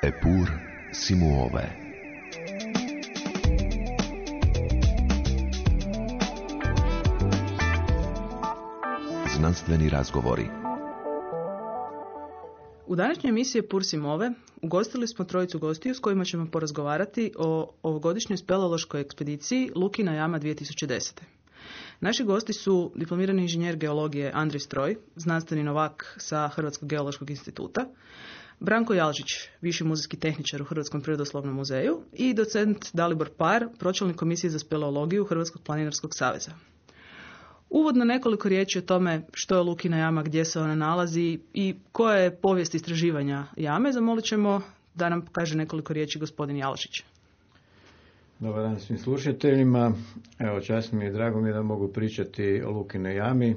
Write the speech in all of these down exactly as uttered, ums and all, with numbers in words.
Eppur si muove. Znanstveni razgovori. U današnjoj emisiji Eppur si muove ugostili smo trojicu gostiju s kojima ćemo porazgovarati o ovogodišnjoj speleološkoj ekspediciji Lukina jama dvije tisuće desete. Naši gosti su diplomirani inženjer geologije Andrij Stroj, znanstveni novak sa Hrvatskog geološkog instituta, Branko Jalžić, viši muzejski tehničar u Hrvatskom prirodoslovnom muzeju i docent Dalibor Par, pročelnik komisije za speleologiju Hrvatskog planinarskog saveza. Uvodno nekoliko riječi o tome što je Lukina jama, gdje se ona nalazi i koja je povijest istraživanja jame. Zamolit ćemo da nam kaže nekoliko riječi gospodin Jalžić. Dobar dan svim slušateljima. Evo, čast mi je, drago mi je da mogu pričati o Lukinoj jami.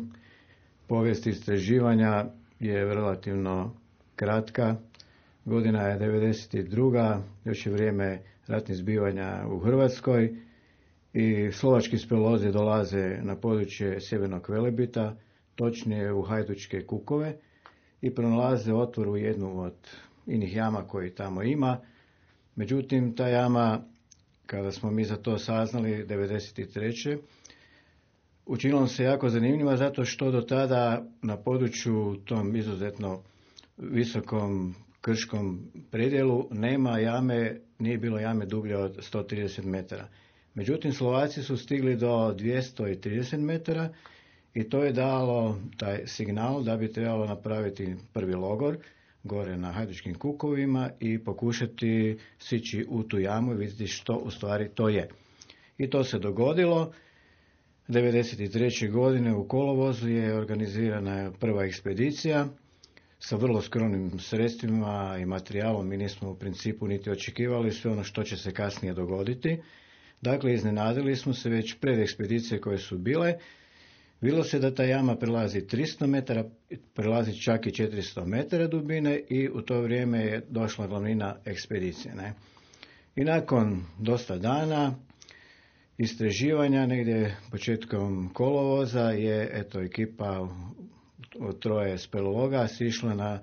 Povijest istraživanja je relativno kratka. Godina je devedeset druga. Još je vrijeme ratnih zbivanja u Hrvatskoj i slovački speleolozi dolaze na područje Sjevernog Velebita, točnije u Hajdučke kukove, i pronalaze otvor u jednu od inih jama koji tamo ima. Međutim, ta jama, kada smo mi za to saznali devedeset treće učinilo se jako zanimljiva zato što do tada na području tom izuzetno visokom krškom predjelu nema jame, nije bilo jame dublje od sto trideset metara. Međutim, Slovaci su stigli do dvjesto trideset metara i to je dalo taj signal da bi trebalo napraviti prvi logor gore na Hajdučkim kukovima i pokušati sići u tu jamu i vidjeti što u stvari to je. I to se dogodilo. devedeset treće godine u kolovozu je organizirana prva ekspedicija sa vrlo skromnim sredstvima i materijalom. Mi nismo u principu niti očekivali sve ono što će se kasnije dogoditi. Dakle, iznenadili smo se već pred ekspedicije koje su bile. Bilo se da ta jama prelazi tristo metara, prelazi čak i četiristo metara dubine i u to vrijeme je došla glavnina ekspedicije. Ne? I nakon dosta dana istraživanja, negdje početkom kolovoza, je eto ekipa od troje speleologa sišla na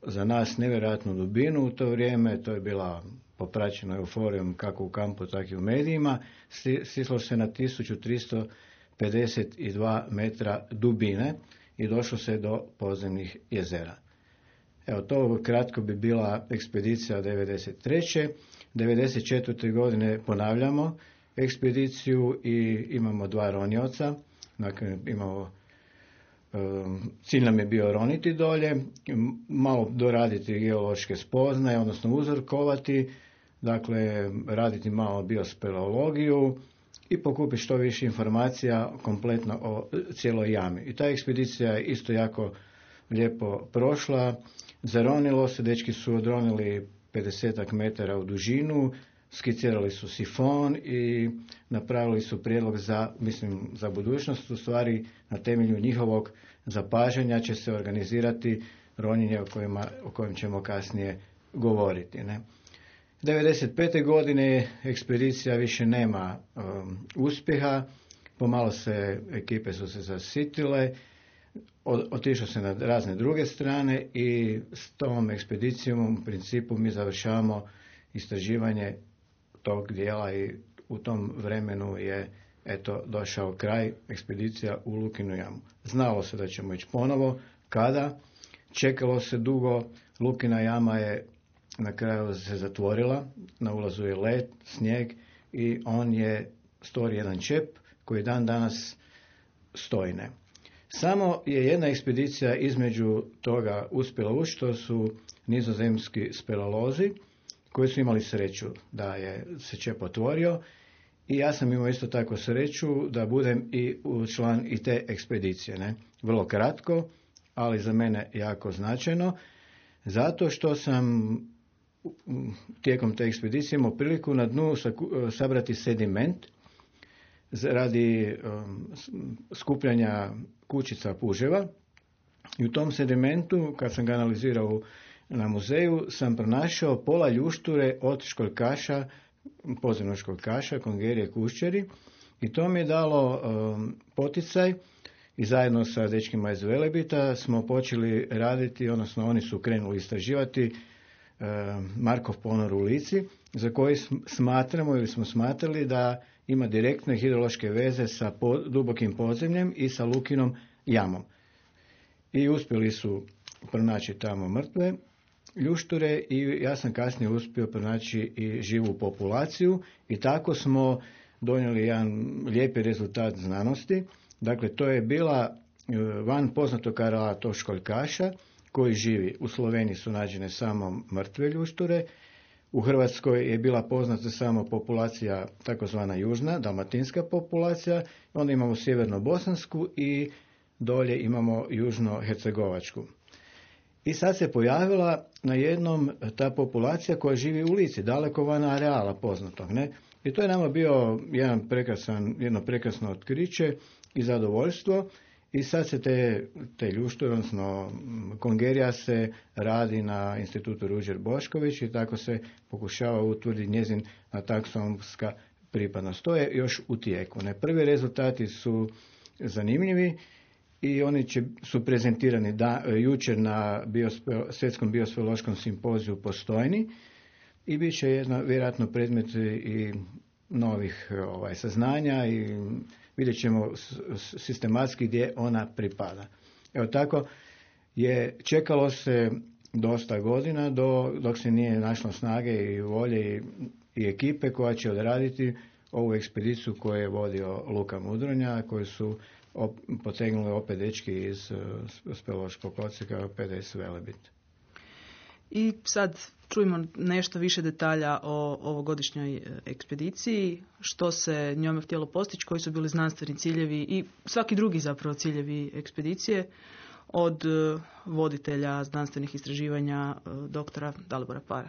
za nas nevjerojatnu dubinu u to vrijeme. To je bila popraćena euforijom kako u kampu, tako i u medijima. Stislo se na tisuću tristo pedeset dva metra dubine i došlo se do podzemnih jezera. Evo, to kratko bi bila ekspedicija devedeset treće devedeset četvrte godine ponavljamo ekspediciju i imamo dva ronioca. Dakle, imamo, cilj nam je bio roniti dolje, malo doraditi geološke spoznaje, odnosno uzorkovati, dakle raditi malo biospeleologiju i pokupiti što više informacija kompletno o cijeloj jami. I ta ekspedicija je isto jako lijepo prošla. Zaronilo se, dečki su odronili pedeset metara u dužinu, skicirali su sifon i napravili su prijedlog za, mislim, za budućnost. U stvari, na temelju njihovog zapažanja će se organizirati ronjenje o, kojima, o kojem ćemo kasnije govoriti. Ne? devedeset pete godine ekspedicija više nema um, uspjeha, pomalo se ekipe su se zasitile, otišlo se na razne druge strane i s tom ekspedicijom u principu mi završavamo istraživanje tog dijela i u tom vremenu je eto došao kraj ekspedicija u Lukinu jamu. Znalo se da ćemo ići ponovo. Kada? Čekalo se dugo. Lukina jama je na kraju se zatvorila, na ulazu je led, snijeg i on je stvori jedan čep koji dan danas stojne. Samo je jedna ekspedicija između toga uspjela ući, to su nizozemski speleolozi koji su imali sreću da je se čep otvorio i ja sam imao isto tako sreću da budem i član i te ekspedicije. Ne? Vrlo kratko, ali za mene jako značajno, zato što sam tijekom te ekspedicije imao priliku na dnu sabrati sediment radi skupljanja kućica puževa i u tom sedimentu, kad sam ga analizirao na muzeju, sam pronašao pola ljušture od školjkaša, podzemnog školjkaša, kongerije kuščeri, i to mi je dalo um, poticaj i zajedno sa dečkima iz Velebita smo počeli raditi, odnosno oni su krenuli istraživati Markov ponor u Lici, za koji smatramo ili smo smatrali da ima direktne hidrološke veze sa po, dubokim podzemljem i sa Lukinom jamom. I uspjeli su pronaći tamo mrtve ljušture i ja sam kasnije uspio pronaći i živu populaciju i tako smo donijeli jedan lijepi rezultat znanosti. Dakle, to je bila van poznatog areala tog školjkaša koji živi. U Sloveniji su nađene samo mrtve ljušture, u Hrvatskoj je bila poznata samo populacija takozvana južna, dalmatinska populacija, onda imamo sjeverno-bosansku i dolje imamo južno-hercegovačku. I sad se pojavila na jednom ta populacija koja živi u Lici, daleko van areala poznatog, ne? I to je nama bio jedan prekrasan, jedno prekrasno otkriće i zadovoljstvo. I sad se te, te ljušture, odnosno kongerija se radi na institutu Ruđer Bošković i tako se pokušava utvrditi njezin taksonomska pripadnost. To je još u tijeku. Ne? Prvi rezultati su zanimljivi i oni će, su prezentirani da, jučer na biospe, Svjetskom biosferiološkom simpoziju Postojni i bit će jedna, vjerojatno predmet i novih ovaj, saznanja i vidjet ćemo sistematski gdje ona pripada. Evo tako je čekalo se dosta godina do, dok se nije našlo snage i volje i, i ekipe koja će odraditi ovu ekspediciju koju je vodio Luka Mudronja, koji su op, potegnuli opet dečki iz uh, speleološkog odsjeka P D S Velebit. I sad čujemo nešto više detalja o ovogodišnjoj ekspediciji, što se njome htjelo postići, koji su bili znanstveni ciljevi i svaki drugi zapravo ciljevi ekspedicije od voditelja znanstvenih istraživanja doktora Dalibora Para.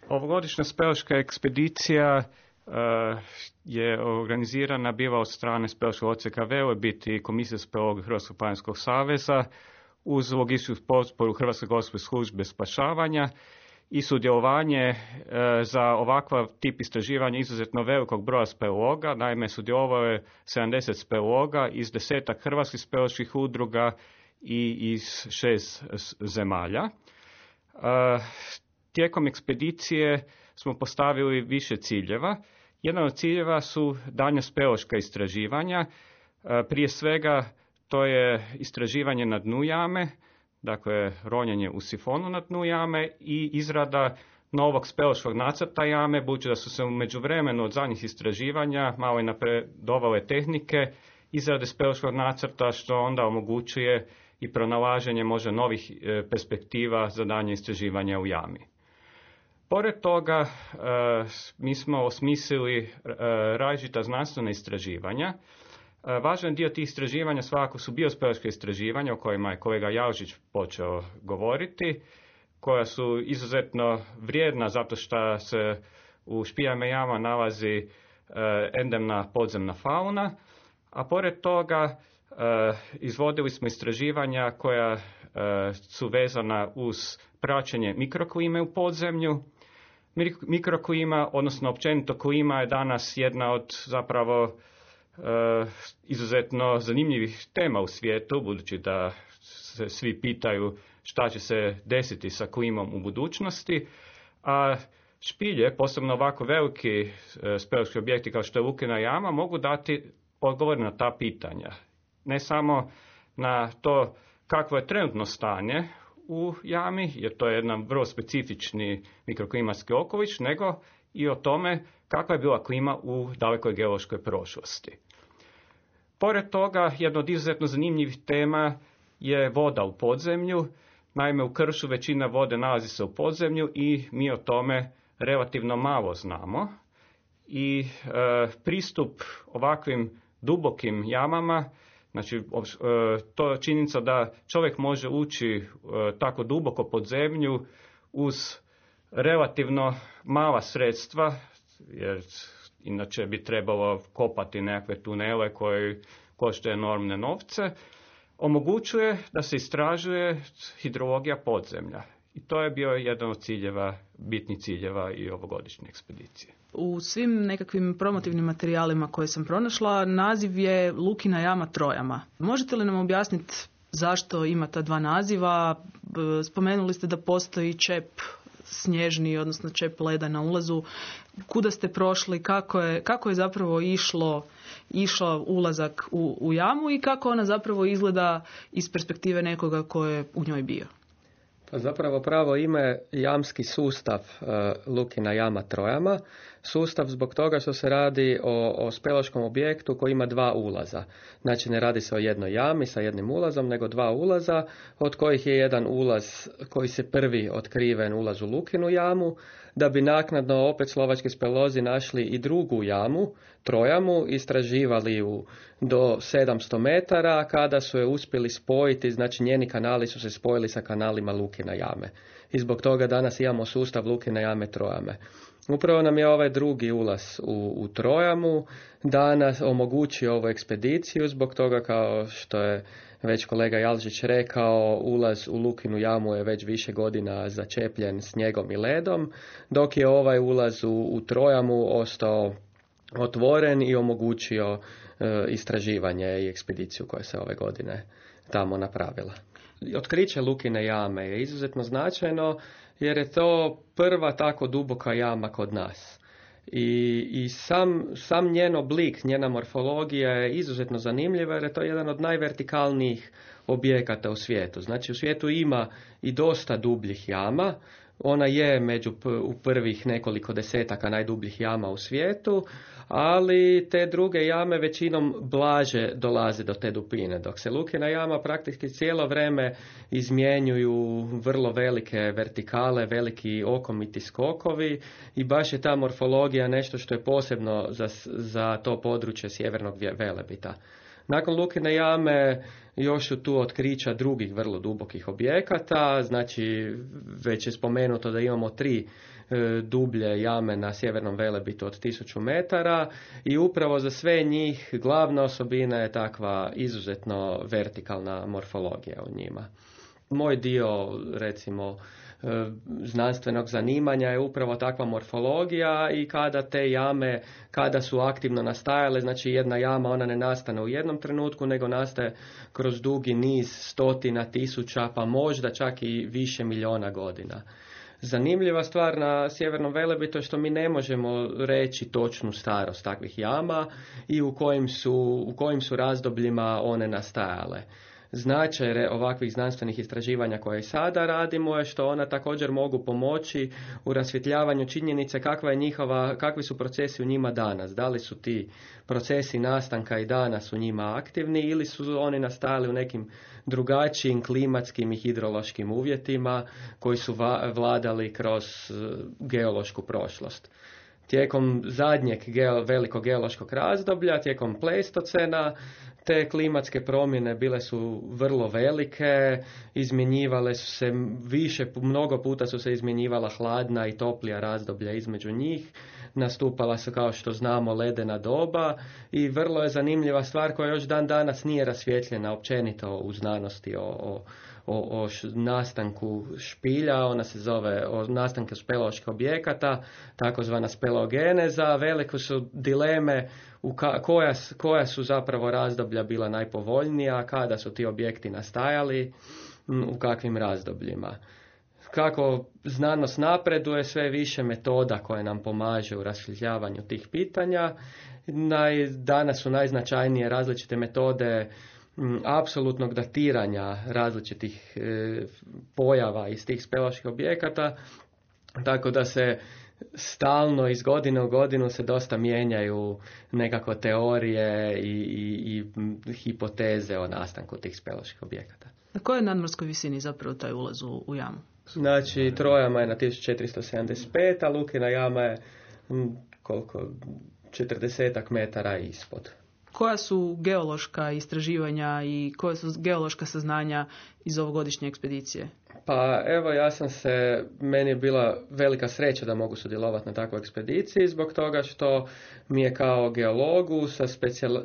Ovogodišnja speleološka ekspedicija uh, je organizirana bila od strane speleološkog odsjeka Velebit i Komisije speleologije Hrvatskog planinskog saveza uz logističku potporu Hrvatske gospodarske službe spašavanja i sudjelovanje e, za ovakav tip istraživanja izuzetno velikog broja speleologa. Naime, sudjelovalo je sedamdeset speleologa iz desetak hrvatskih speleoloških udruga i iz šest zemalja. E, tijekom ekspedicije smo postavili više ciljeva. Jedan od ciljeva su daljnja speleološka istraživanja. E, prije svega to je istraživanje na dnu jame, dakle ronjenje u sifonu na dnu jame i izrada novog speleološkog nacrta jame, budući da su se u međuvremenu od zadnjih istraživanja malo i napredovale tehnike izrade speleološkog nacrta, što onda omogućuje i pronalaženje možda novih perspektiva za daljnje istraživanje u jami. Pored toga, mi smo osmislili različita znanstvena istraživanja. Važan dio tih istraživanja svakako su biospeleološka istraživanja o kojima je kolega Jalžić počeo govoriti, koja su izuzetno vrijedna zato što se u špiljama jama nalazi endemna podzemna fauna, a pored toga izvodili smo istraživanja koja su vezana uz praćenje mikroklime u podzemlju. Mikroklima, odnosno općenito klima, je danas jedna od zapravo Uh, izuzetno zanimljivih tema u svijetu, budući da se svi pitaju šta će se desiti sa klimom u budućnosti, a špilje, posebno ovako veliki uh, speleološki objekti kao što je Lukina jama, mogu dati odgovor na ta pitanja. Ne samo na to kakvo je trenutno stanje u jami, jer to je jedan vrlo specifični mikroklimatski okoliš, nego i o tome kakva je bila klima u dalekoj geološkoj prošlosti. Pored toga, jedna od izuzetno zanimljivih tema je voda u podzemlju. Naime, u kršu većina vode nalazi se u podzemlju i mi o tome relativno malo znamo. I e, pristup ovakvim dubokim jamama, znači e, to je činjenica da čovjek može ući e, tako duboko pod zemlju uz relativno mala sredstva, jer inače bi trebalo kopati nekakve tunele koji koštaju enormne novce, omogućuje da se istražuje hidrologija podzemlja. I to je bio jedan od ciljeva, bitnih ciljeva i ovogodišnje ekspedicije. U svim nekakvim promotivnim materijalima koje sam pronašla, naziv je Lukina jama Trojama. Možete li nam objasniti zašto ima ta dva naziva? Spomenuli ste da postoji čep snježni, odnosno čep leda na ulazu. Kuda ste prošli, kako je, kako je zapravo išlo, išao ulazak u, u jamu i kako ona zapravo izgleda iz perspektive nekoga ko je u njoj bio? Pa zapravo pravo ime jamski sustav uh, Lukina jama Trojama. Sustav zbog toga što se radi o, o speleološkom objektu koji ima dva ulaza. Znači ne radi se o jednoj jami sa jednim ulazom, nego dva ulaza, od kojih je jedan ulaz koji se prvi otkriven ulaz u Lukinu jamu, da bi naknadno opet slovački speleolozi našli i drugu jamu, Trojamu, istraživali ju do sedamsto metara, kada su je uspjeli spojiti, znači njeni kanali su se spojili sa kanalima Lukina jame. I zbog toga danas imamo sustav Lukina jame Trojame. Upravo nam je ovaj drugi ulaz u, u Trojamu danas omogućio ovu ekspediciju, zbog toga kao što je već kolega Jalžić rekao, ulaz u Lukinu jamu je već više godina začepljen snijegom i ledom, dok je ovaj ulaz u, u Trojamu ostao otvoren i omogućio e, istraživanje i ekspediciju koja se ove godine tamo napravila. Otkriće Lukine jame je izuzetno značajno jer je to prva tako duboka jama kod nas. I, i sam, sam njen oblik, njena morfologija je izuzetno zanimljiva jer je to jedan od najvertikalnijih objekata u svijetu. Znači u svijetu ima i dosta dubljih jama. Ona je među u prvih nekoliko desetaka najdubljih jama u svijetu, ali te druge jame većinom blaže dolaze do te dubine, dok se Lukina jama praktički cijelo vrijeme izmjenjuju vrlo velike vertikale, veliki okomiti skokovi i baš je ta morfologija nešto što je posebno za, za to područje Sjevernog Velebita. Nakon Lukine jame još su tu otkrića drugih vrlo dubokih objekata, znači već je spomenuto da imamo tri e, dublje jame na Sjevernom Velebitu od tisuću metara i upravo za sve njih glavna osobina je takva izuzetno vertikalna morfologija u njima. Moj dio, recimo, znanstvenog zanimanja je upravo takva morfologija i kada te jame, kada su aktivno nastajale, znači jedna jama ona ne nastane u jednom trenutku, nego nastaje kroz dugi niz stotina tisuća, pa možda čak i više milijuna godina. Zanimljiva stvar na Sjevernom Velebitu je što mi ne možemo reći točnu starost takvih jama i u kojim su, u kojim su razdobljima one nastajale. Značaj ovakvih znanstvenih istraživanja koje sada radimo je što ona također mogu pomoći u rasvjetljavanju činjenice kakva je njihova, kakvi su procesi u njima danas. Da li su ti procesi nastanka i danas u njima aktivni ili su oni nastajali u nekim drugačijim klimatskim i hidrološkim uvjetima koji su vladali kroz geološku prošlost. Tijekom zadnjeg geo, velikog geološkog razdoblja, tijekom Pleistocena, te klimatske promjene bile su vrlo velike, izmjenjivale su se više, mnogo puta su se izmjenjivala hladna i toplija razdoblja između njih, nastupala su kao što znamo ledena doba i vrlo je zanimljiva stvar koja još dan danas nije rasvjetljena općenito u znanosti o, o O, o š, nastanku špilja, ona se zove o nastanku speleoloških objekata, takozvana speleogeneza. Velike su dileme u ka, koja, koja su zapravo razdoblja bila najpovoljnija, kada su ti objekti nastajali, u kakvim razdobljima. Kako znanost napreduje, sve više metoda koje nam pomaže u rasvjetljavanju tih pitanja. Naj, danas su najznačajnije različite metode apsolutnog datiranja različitih e, pojava iz tih speleoloških objekata, tako da se stalno iz godine u godinu se dosta mijenjaju nekako teorije i, i, i hipoteze o nastanku tih speleoloških objekata. Na kojoj nadmorskoj visini zapravo taj ulaz u, u jamu? Znači, Trojama je na tisuću četiristo sedamdeset pet, a Lukina jama je m, koliko, četrdesetak metara ispod. Koja su geološka istraživanja i koja su geološka saznanja iz ovogodišnje ekspedicije? Pa evo, ja sam se, meni je bila velika sreća da mogu sudjelovati na takvoj ekspediciji zbog toga što mi je kao geologu, sa specijal,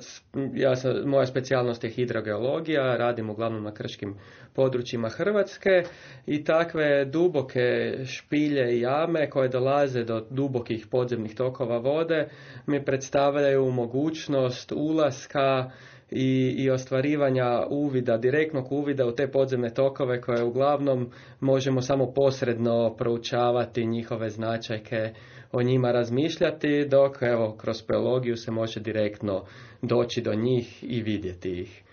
ja sam, moja specijalnost je hidrogeologija, radim uglavnom na krškim područjima Hrvatske i takve duboke špilje i jame koje dolaze do dubokih podzemnih tokova vode mi predstavljaju mogućnost ulaska i, i ostvarivanja uvida, direktnog uvida u te podzemne tokove koje uglavnom možemo samo posredno proučavati njihove značajke, o njima razmišljati, dok evo kroz speologiju se može direktno doći do njih i vidjeti ih.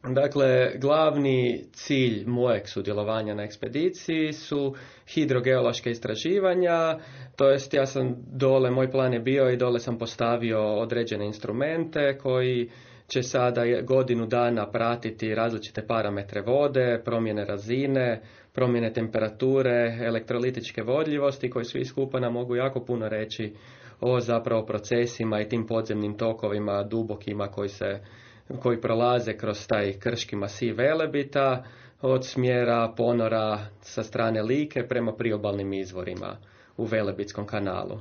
Dakle, glavni cilj mojeg sudjelovanja na ekspediciji su hidrogeološke istraživanja, to jest ja sam dole, moj plan je bio i dole sam postavio određene instrumente koji će sada godinu dana pratiti različite parametre vode, promjene razine, promjene temperature, elektrolitičke vodljivosti koji svi skupa nam mogu jako puno reći o zapravo procesima i tim podzemnim tokovima dubokima koji se koji prolaze kroz taj krški masiv Velebita od smjera ponora sa strane Like prema priobalnim izvorima u Velebitskom kanalu.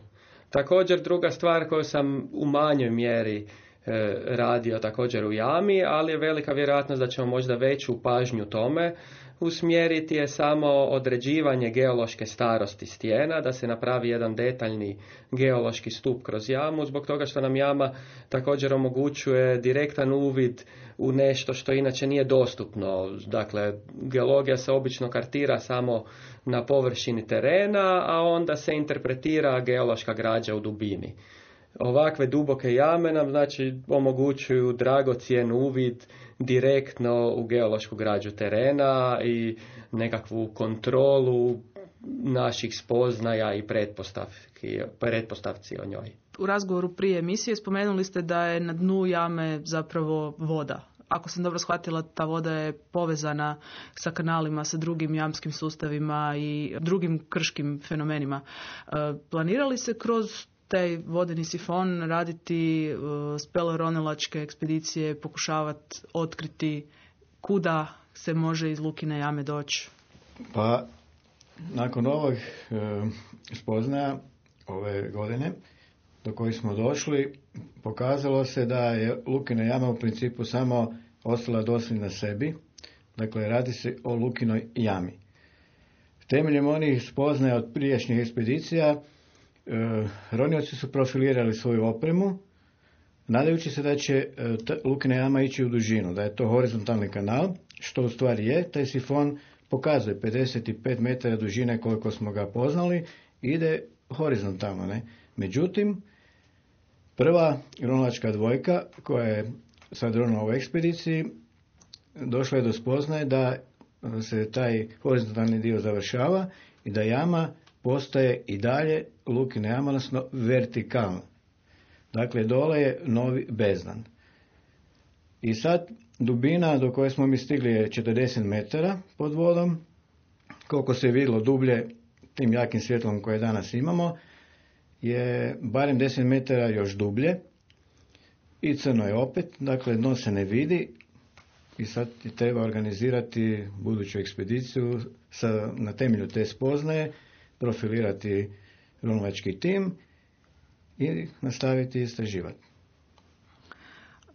Također druga stvar koju sam u manjoj mjeri e, radio također u jami, ali je velika vjerojatnost da ćemo možda veću pažnju tome usmjeriti je samo određivanje geološke starosti stijena, da se napravi jedan detaljni geološki stup kroz jamu, zbog toga što nam jama također omogućuje direktan uvid u nešto što inače nije dostupno. Dakle, geologija se obično kartira samo na površini terena, a onda se interpretira geološka građa u dubini. Ovakve duboke jame nam znači omogućuju dragocjen uvid direktno u geološku građu terena i nekakvu kontrolu naših spoznaja i pretpostavki, pretpostavci o njoj. U razgovoru prije emisije spomenuli ste da je na dnu jame zapravo voda. Ako sam dobro shvatila, ta voda je povezana sa kanalima, sa drugim jamskim sustavima i drugim krškim fenomenima. Planirali se kroz taj vodeni sifon raditi uh, speleoronilačke ekspedicije, pokušavati otkriti kuda se može iz Lukine jame doći? Pa, nakon ovog e, spoznaja ove godine do kojih smo došli, pokazalo se da je Lukina jama u principu samo ostala dosljedna sebi. Dakle, radi se o Lukinoj jami. Temeljem onih spoznaja od prijašnjih ekspedicija, E, ronioci su profilirali svoju opremu, nadajući se da će e, Lukina jama ići u dužinu, da je to horizontalni kanal, što u stvari je. Taj sifon pokazuje pedeset pet metara dužine koliko smo ga poznali, ide horizontalno. Ne? Međutim, prva ronilačka dvojka koja je sad ronila u ekspediciji, došla je do spoznaje da se taj horizontalni dio završava i da jama postaje i dalje Lukina jama, odnosno vertikalna. Dakle, dole je novi bezdan. I sad dubina do koje smo mi stigli je četrdeset metara pod vodom. Koliko se vidjelo dublje tim jakim svjetlom koje danas imamo, je barem deset metara još dublje. I crno je opet, dakle dno se ne vidi. I sad treba organizirati buduću ekspediciju sa, na temelju te spoznaje, profilirati ronilački tim i nastaviti istraživati.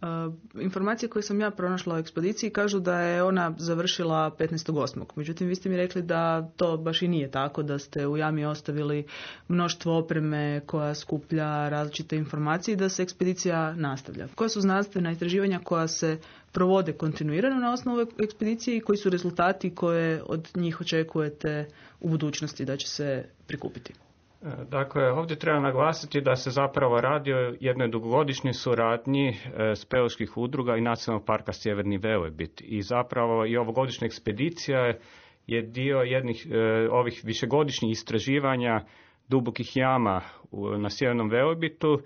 Uh, informacije koje sam ja pronašla u ekspediciji kažu da je ona završila petnaestog osmog Međutim, vi ste mi rekli da to baš i nije tako, da ste u jami ostavili mnoštvo opreme koja skuplja različite informacije i da se ekspedicija nastavlja. Koja su znanstvena istraživanja koja se provode kontinuirano na osnovu ekspedicije i koji su rezultati koje od njih očekujete u budućnosti da će se prikupiti? Dakle, ovdje treba naglasiti da se zapravo radi o jednoj dugogodišnjoj suradnji speoloških udruga i Nacionalnog parka Sjeverni Velebit. I zapravo i ovogodišnja ekspedicija je dio jednih ovih višegodišnjih istraživanja dubokih jama na Sjevernom Velebitu.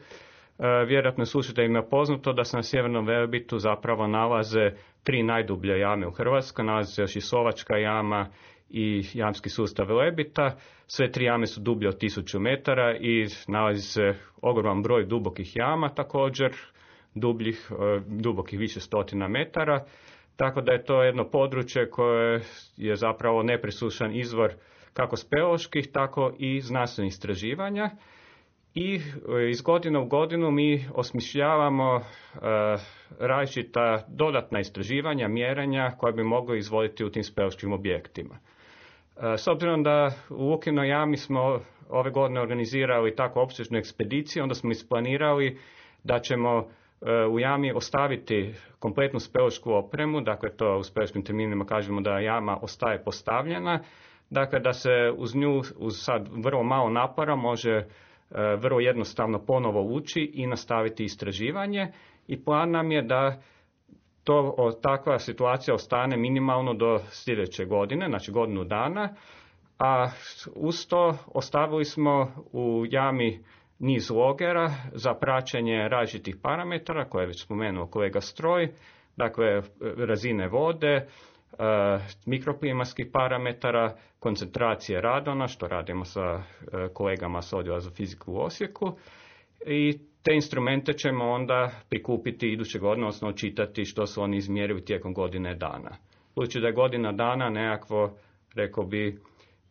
Vjerojatno je slušateljima poznato da se na Sjevernom Velebitu zapravo nalaze tri najdublje jame u Hrvatskoj. Nalazi se još i Sovačka jama i jamski sustav Velebita. Sve tri jame su dublje od tisuću metara i nalazi se ogroman broj dubokih jama također, dubljih, dubokih više stotina metara. Tako da je to jedno područje koje je zapravo nepresušan izvor kako speoloških, tako i znanstvenih istraživanja. I iz godine u godinu mi osmišljavamo e, različita dodatna istraživanja, mjerenja koja bi mogli izvoditi u tim speološkim objektima. E, s obzirom da u Lukinoj jami smo ove godine organizirali tako opsežnu ekspediciju, onda smo isplanirali da ćemo u jami ostaviti kompletnu speleološku opremu, dakle to u speleološkim terminima kažemo da jama ostaje postavljena, dakle da se uz nju uz sad vrlo malo napora može vrlo jednostavno ponovo ući i nastaviti istraživanje i plan nam je da to, takva situacija ostane minimalno do sljedeće godine, znači godinu dana, a uz to ostavili smo u jami niz logera za praćenje različitih parametara koje je već spomenuo kolega Stroj, dakle razine vode, mikroklimatskih parametara, koncentracije radona, što radimo sa kolegama s odjela za fiziku u Osijeku, i te instrumente ćemo onda prikupiti iduće godine, odnosno čitati što su oni izmjerili tijekom godine dana. Budući da je godina dana nekakvo, rekao bi,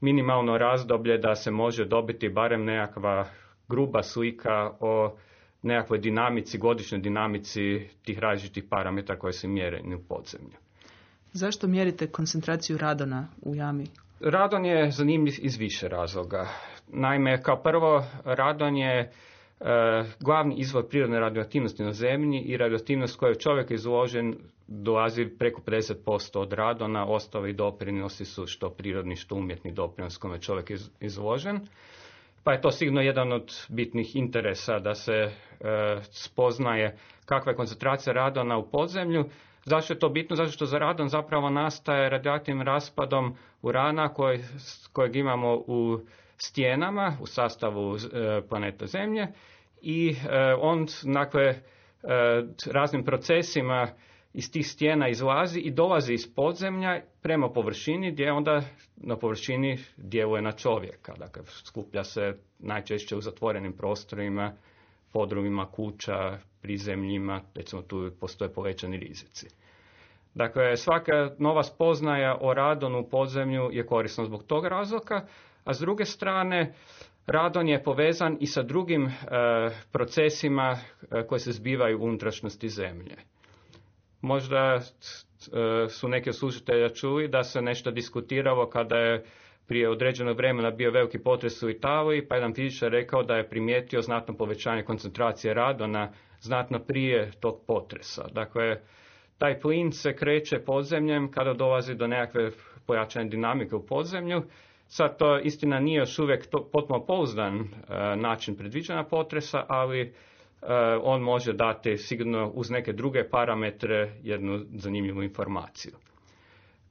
minimalno razdoblje da se može dobiti barem nekakva gruba slika o nekakvoj dinamici, godišnjoj dinamici tih različitih parametara koje se mjere u podzemlju. Zašto mjerite koncentraciju radona u jami? Radon je zanimljiv iz više razloga. Naime, kao prvo, radon je e, glavni izvor prirodne radioaktivnosti na zemlji i radioaktivnost koju je čovjek izložen dolazi preko pedeset posto od radona, ostali doprinosi su što prirodni, što umjetni doprinos kome je čovjek iz, izložen. Pa je to sigurno jedan od bitnih interesa da se e, spoznaje kakva je koncentracija radona u podzemlju. Zašto je to bitno? Zato što za radon zapravo nastaje radioaktivnim raspadom urana koji, kojeg imamo u stijenama, u sastavu e, planeta Zemlje i e, on dakle, e, raznim procesima iz tih stijena izlazi i dolazi iz podzemlja prema površini gdje onda na površini djeluje na čovjeka. Dakle, skuplja se najčešće u zatvorenim prostorima, podrumima kuća, prizemljima, recimo tu postoje povećani rizici. Dakle, svaka nova spoznaja o radonu u podzemlju je korisna zbog tog razloga, a s druge strane radon je povezan i sa drugim e, procesima e, koji se zbivaju u unutrašnjosti Zemlje. Možda e, su neki od slušatelja čuli da se nešto diskutiralo kada je prije određenog vremena bio veliki potres u Italiji, pa jedan fizičar rekao da je primijetio znatno povećanje koncentracije radona znatno prije tog potresa. Dakle, taj plin se kreće podzemljem kada dolazi do nekakve pojačane dinamike u podzemlju. Sad to istina nije još uvijek to, potpuno pouzdan e, način predviđanja potresa, ali e, on može dati sigurno uz neke druge parametre jednu zanimljivu informaciju.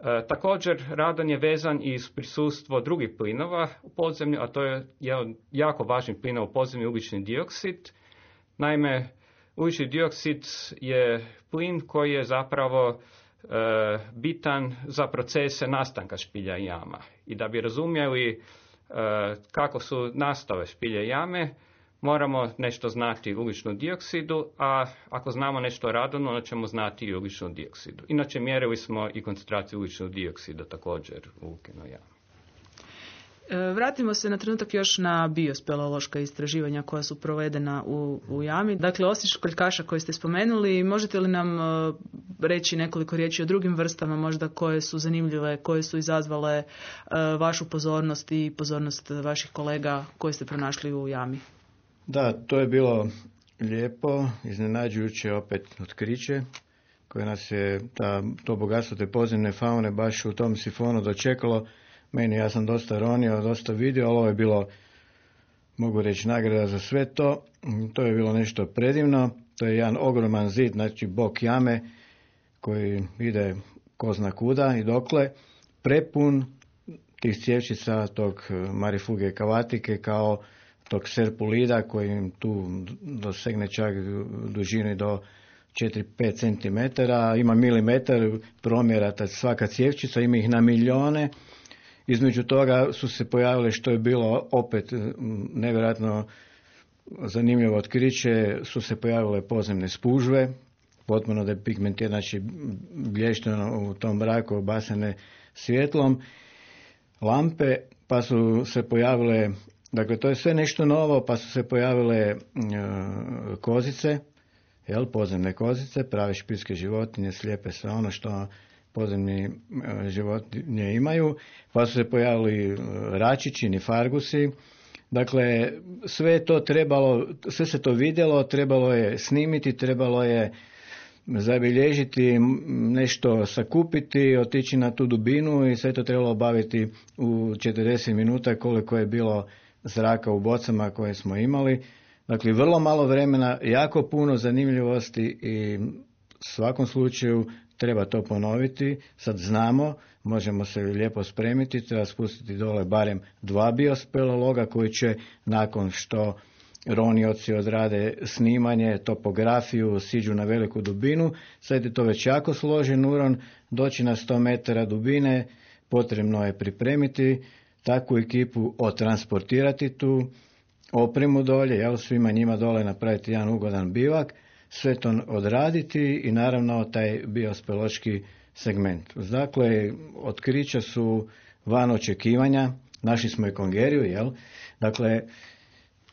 E, također, radon je vezan i s prisustvo drugih plinova u podzemlju, a to je jedan jako važni plin u podzemlju, ugljični dioksid. Naime, ugljični dioksid je plin koji je zapravo e, bitan za procese nastanka špilja i jama. I da bi razumjeli e, kako su nastale špilje i jame, moramo nešto znati o ugljičnom dioksidu, a ako znamo nešto o radonu, onda ćemo znati i o ugljičnom dioksidu. Inače, mjerili smo i koncentraciju ugljičnog dioksida također u Lukinoj jami. Vratimo se na trenutak još na biospeleološka istraživanja koja su provedena u, u jami. Dakle, osim školjkaša koje ste spomenuli, možete li nam uh, reći nekoliko riječi o drugim vrstama možda koje su zanimljive, koje su izazvale uh, vašu pozornost i pozornost vaših kolega koje ste pronašli u jami? Da, to je bilo lijepo, iznenađujuće opet otkriće koje nas je ta, to bogatstvo te podzemne faune baš u tom sifonu dočekalo. Meni, ja sam dosta ronio, dosta vidio, ali ovo je bilo, mogu reći, nagrada za sve to. To je bilo nešto predivno. To je jedan ogroman zid, znači bok jame, koji ide ko zna kuda i dokle, prepun tih cjevčica tog marifuge kavatike kao tog serpulida koji tu dosegne čak dužini do četiri do pet centimetara, ima milimetar promjera, svaka cjevčica, ima ih na milijone. Između toga su se pojavile, što je bilo opet nevjerojatno zanimljivo otkriće, su se pojavile podzemne spužve, potpuno depigmentirane, znači blješteno u tom mraku obasane svjetlom, lampe, pa su se pojavile, dakle to je sve nešto novo, pa su se pojavile e, kozice, jel, podzemne kozice, prave špiljske životinje, slijepe sve ono što podzemni životinje imaju, pa su se pojavili račići, nifargusi, Dakle, sve je to trebalo, sve se to vidjelo, trebalo je snimiti, trebalo je zabilježiti, nešto sakupiti, otići na tu dubinu i sve to trebalo obaviti u četrdeset minuta koliko je bilo zraka u bocama koje smo imali. Dakle, vrlo malo vremena, jako puno zanimljivosti i u svakom slučaju treba to ponoviti. Sad znamo, možemo se lijepo spremiti, treba spustiti dole barem dva biospeleologa koji će nakon što ronioci odrade snimanje, topografiju, siđu na veliku dubinu. Sad je to već jako složen uron, doći na sto metara dubine, potrebno je pripremiti takvu ekipu, otransportirati tu opremu dolje, jel, svima njima dole napraviti jedan ugodan bivak, sve to odraditi i naravno taj biospeleološki segment. Dakle, otkrića su van očekivanja, našli smo i kongeriju, jel? Dakle,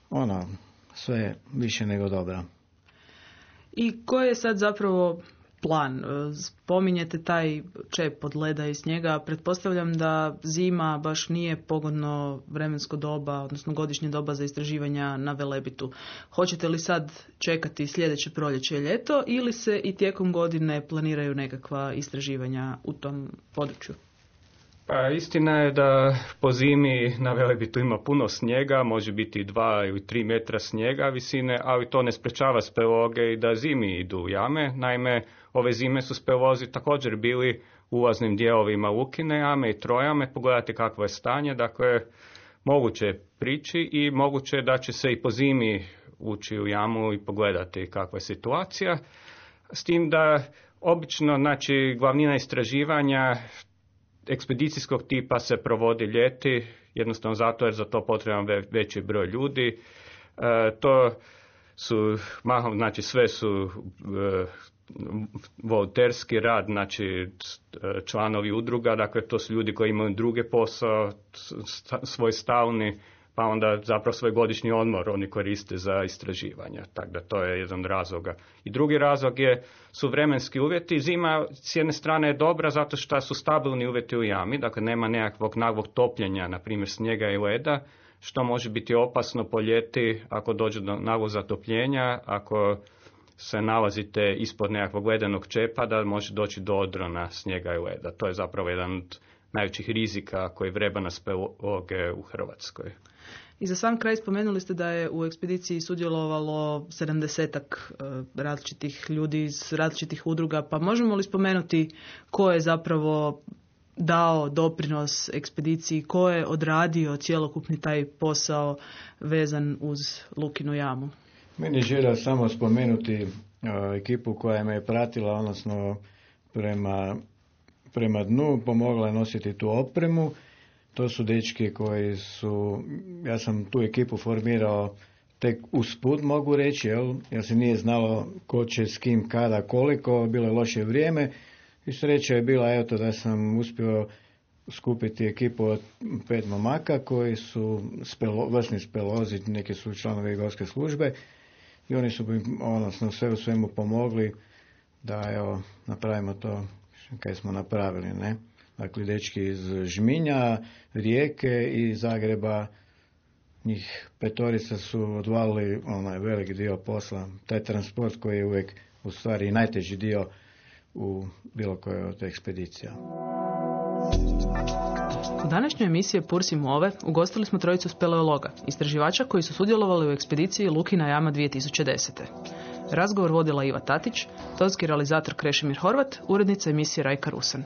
ono, sve više nego dobro. I koji je sad zapravo plan? Spominjete taj čep od leda iz njega. Pretpostavljam da zima baš nije pogodno vremensko doba, odnosno godišnje doba za istraživanja na Velebitu. Hoćete li sad čekati sljedeće proljeće i ljeto ili se i tijekom godine planiraju nekakva istraživanja u tom području? Pa istina je da po zimi na Velebitu ima puno snijega, može biti i dva ili tri metra snijega visine, ali to ne sprečava speleologe i da zimi idu u jame. Naime, ove zime su speleolozi također bili u ulaznim dijelovima Lukine jame i Trojame, pogledati kakvo je stanje, dakle moguće je prići i moguće je da će se i po zimi ući u jamu i pogledati kakva je situacija. S tim da obično, znači, glavnina istraživanja ekspedicijskog tipa se provodi ljeti, jednostavno zato jer za to potreban veći broj ljudi. E, to su mahom, znači sve su e, volonterski rad, znači članovi udruga, dakle to su ljudi koji imaju druge posao, svoj stalni, pa onda zapravo svoj godišnji odmor oni koriste za istraživanja, tako da to je jedan razloga. I drugi razlog je, su vremenski uvjeti. Zima s jedne strane je dobra zato što su stabilni uvjeti u jami, dakle nema nekakvog naglog topljenja, na primjer snijega i leda, što može biti opasno po ljeti ako dođe do naglog zatopljenja, ako se nalazite ispod nekakvog ledenog čepa, da može doći do odrona snijega i leda. To je zapravo jedan od najvećih rizika koji vreba na speleologe u Hrvatskoj. I za sam kraj spomenuli ste da je u ekspediciji sudjelovalo sedamdesetak različitih ljudi iz različitih udruga, pa možemo li spomenuti ko je zapravo dao doprinos ekspediciji, ko je odradio cjelokupni taj posao vezan uz Lukinu jamu? Meni je želja samo spomenuti uh, ekipu koja me je pratila, odnosno prema, prema dnu, pomogla je nositi tu opremu. To su dečki koji su, ja sam tu ekipu formirao tek usput, mogu reći, jel, jer se nije znalo ko će s kim, kada, koliko, bilo je loše vrijeme i sreća je bila, eto, da sam uspio skupiti ekipu od pet momaka koji su spelo, vrsni spelozi, neki su članovi gorske službe i oni su mi, odnosno, sve u svemu pomogli da, evo, napravimo to kaj smo napravili, ne. Dakle, dečki iz Žminja, Rijeke i Zagreba, njih petorica su odvalili onaj veliki dio posla, taj transport koji je uvijek u stvari najteži dio u bilo kojoj od ekspedicija. U današnjoj emisiji Pursi Move ugostili smo trojicu speleologa, istraživača koji su sudjelovali u ekspediciji Lukina jama dvije tisuće desete. Razgovor vodila Iva Tatić, tonski realizator Krešimir Horvat, urednica emisije Rajka Rusan.